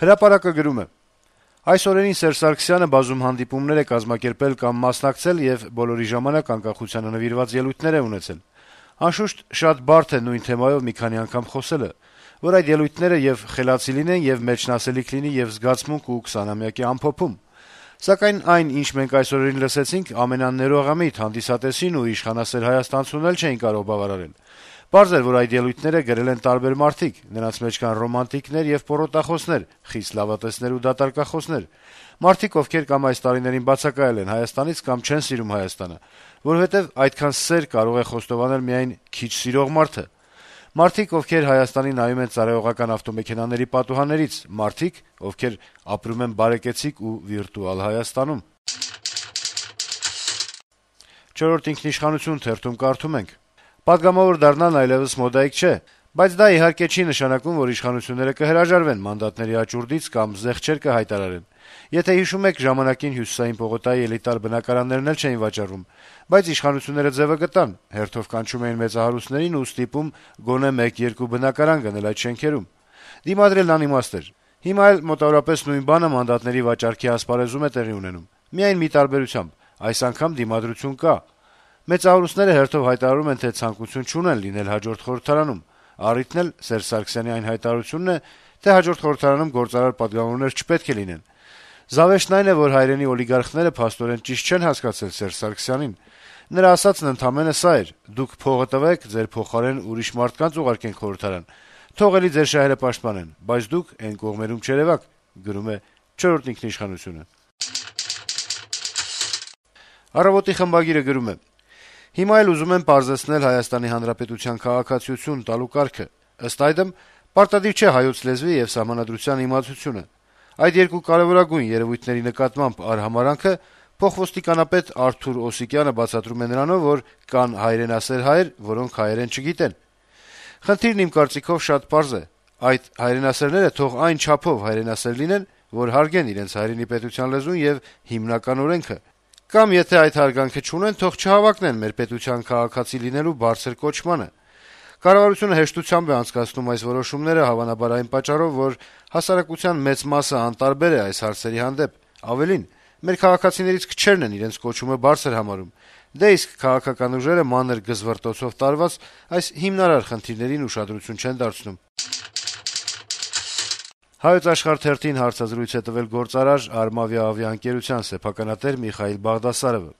Հրապարակը գրում է. Այս օրերին Սերժ Սարգսյանը բազում հանդիպումներ է կազմակերպել կամ մասնակցել եւ բոլորի ժամանակ անկախությանը նվիրված ելույթներ է ունեցել։ Անշուշտ շատ բարդ է նույն թեմայով մի քանի անգամ խոսելը, որ այդ ելույթները եւ խելացի լինեն եւ մեջնասելիք լինի եւ զգացմունք ու 20-ամյակի ամփոփում։ Սակայն այն, ինչ մենք այս օրերին լսեցինք, ամենաներողամիտ հանդիսատեսին ու իշխանասեր հայաստանցուն էլ չէին կարող բավարարել։ Պարզ էր, որ այդ ելույթները գրել են տարբեր մարդիկ, նրանց մեջ կան ռոմանտիկներ եւ պոռոտախոսներ, խիստ լավատեսներ ու դատարկախոսներ, մարդիկ, ովքեր կամ այս տարիներին բացակայել են Հայաստանից կամ չեն սիրում Հայաստանը, որովհետեւ այդքան սեր կարող է խոստովանել միայն քիչ սիրող մարդը, մարդիկ, ովքեր Հայաստանի նայում են ծառայողական ավտոմեքենաների պատուհաններից, մարդիկ, ովքեր ապրում են բարեկեցիկ ու վիրտուալ Հայաստանում։ Չորրորդ ինքնիշխանություն թերթում կարդում ենք. Պատգամավոր դառնալն այլևս մոդայիկ չէ, բայց դա իհարկե չի նշանակում, որ իշխանությունները կհրաժարվեն մանդատների աճուրդից կամ զեղչեր կհայտարարեն։ Եթե հիշում եք, ժամանակին Հյուսիսային պողոտայի էլիտար բնակարաններն էլ չէին վաճառվում, բայց իշխանությունները ձևը գտան, հերթով կանչում էին մեծահարուստներին ու ստիպում գոնե 1-2 բնակարան գնել այդ շենքերում։ Դիմադրելն անիմաստ էր։ Հիմա էլ մոտավորապես նույն բանը մանդատների վաճառքի ասպարեզում է տեղի ունենում։ Միայն մի տարբերությամբ, այս անգամ դիմադրություն կա։ Մեծահարուստները հերթով հայտարարում են, թե ցանկություն չունեն լինել հաջորդ խորհրդարանում։ Առիթն էլ Սերժ Սարգսյանի այն հայտարարությունն է, թե հաջորդ խորհրդարանում գործարար պատգամավորներ չպետք է լինեն։ Զավեշտն այն է, որ հայրենի օլիգարխները փաստորեն ճիշտ չեն հասկացել Սերժ Սարգսյանին։ Նրա ասածն ընդամենը սա էր. դուք փողը տվեք, ձեր փոխարեն ուրիշ մարդկանց ուղարկեն խորհրդարան։ Թող էլի ձեր շահերը պաշտպանեն, բայց դուք այն կողմերում չերևաք, գրում է չորրորդ ինքնիշխանությունը։ Առավոտի խմբագիրը գրում է. Հիմա էլ ուզում են պարզեցնել Հայաստանի Հանրապետության քաղաքացիություն տալու կարգը։ Ըստ այդմ, պարտադիր չէ հայոց լեզվի եւ սահմանադրության իմացությունը։ Այդ երկու կարեւորագույն երևույթների նկատմամբ արհամարանքը փոխոստիկանապետ Արթուր Օսիկյանը բացատրում է նրանով, որ կան հայրենասեր հայեր, որոնք հայերեն չգիտեն։ Խնդիրն իմ կարծիքով շատ պարզ է։ Այդ հայրենասերները թող այն չափով հայրենասեր լինեն, որ հարգեն իրենց հայրենի պետության լեզուն եւ հիմնական օրենքը։ Կամ եթե այդ հարգանքը չունեն, թող չհավակնեն մեր պետության քաղաքացի լինելու բարձր կոչմանը։ Կառավարությունը հեշտությամբ է անցկացնում այս որոշումները հավանաբար այն պատճառով, որ հասարակության մեծ մասը անտարբեր է այս հարցերի հանդեպ։ Ավելին, մեր քաղաքացիներից քչերն են իրենց կոչումը բարձր համարում։ Դե իսկ քաղաքական ուժերը մանր գզվռտոցով տարված այս հիմնարար խնդիրներին ուշադրություն չեն դարձնում։ Հայոց աշխարհ թերթին հարցազրույց է տվել գործարար Արմավիա ավիաընկերության սեփականատեր Միխայիլ Բաղդասարովը։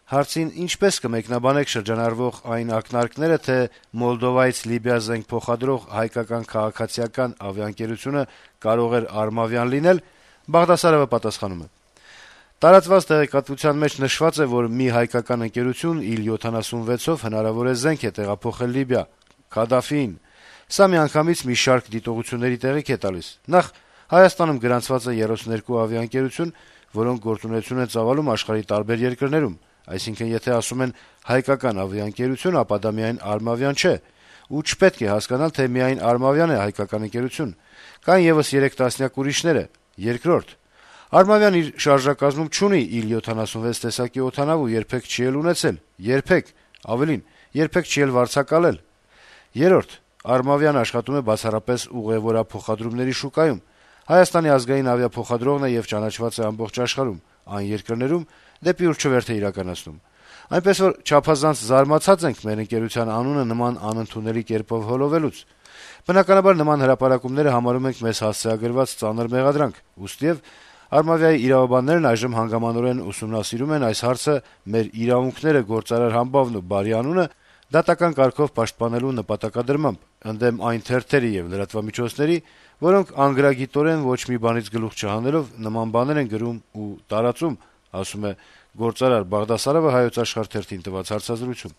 Հարցին ինչպես կմեկնաբանեք շրջանառվող այն ակնարկները, թե Մոլդովայից Լիբիա զենք փոխադրող հայկական քաղաքացիական ավիաընկերությունը կարող էր Արմավիան լինել, Բաղդասարովը պատասխանում է. Տարածված տեղեկատվության մեջ նշված է, որ մի հայկական ընկերություն Il-76-ով հնարավոր է զենք է տեղափոխել Լիբիա, Քադաֆիին։ Սա միանգամից մի շարք դիտողությունների տեղիք է տալիս։ Նախ Հայաստանում գրանցված է 32 ավիաընկերություն, որոնք գործունեություն են ծավալում աշխարհի տարբեր երկրներում, այսինքն եթե ասում են հայկական ավիաընկերություն, ապա դա միայն Արմավիան չէ, ու չպետք է հասկանալ, թե միայն Արմավիան է հայկական ընկերություն։ Կան եւս 3 տասնյակ ուրիշները։ Երկրորդ, Արմավիան իր շարժակազմում չունի Il-76 տեսակի օդանավ ու երբեք չի էլ ունեցել, երբեք, ավելին, երբեք չի էլ վարձակալել։ Երրորդ, Արմավիան աշխատում է բացառապես ուղևորափոխադրումների շուկայում։ Հայաստանի ազգային ավիափոխադրողն է եւ ճանաչված է ամբողջ աշխարհում, այն երկրներում, դեպի ուր չվերթ է իրականացնում։ Այնպես որ չափազանց զարմացած ենք մեր ընկերության անունը նման անընդունելի կերպով հոլովելուց։ Բնականաբար նման հրապարակումները համարում ենք մեզ հասցեագրված ծանր մեղադրանք, ուստիև Արմավիայի իրավաբաններն այժմ հանգամանորեն ուսումնասիրում են այս հարցը մեր իրավունքները գործարար համբավն ու բարի անունը դատական կարգով պաշտպանելու նպատակադրմամբ, ընդդեմ այն թերթերի եւ լրատվամիջոցների, որոնք անգրագիտորեն ոչ մի բանից գլուխ չհանելով նման բաներ են գրում ու տարածում, ասում է գործարար Բաղդասարովը Հայոց աշխարհ թերթին տված հարցազրույցում։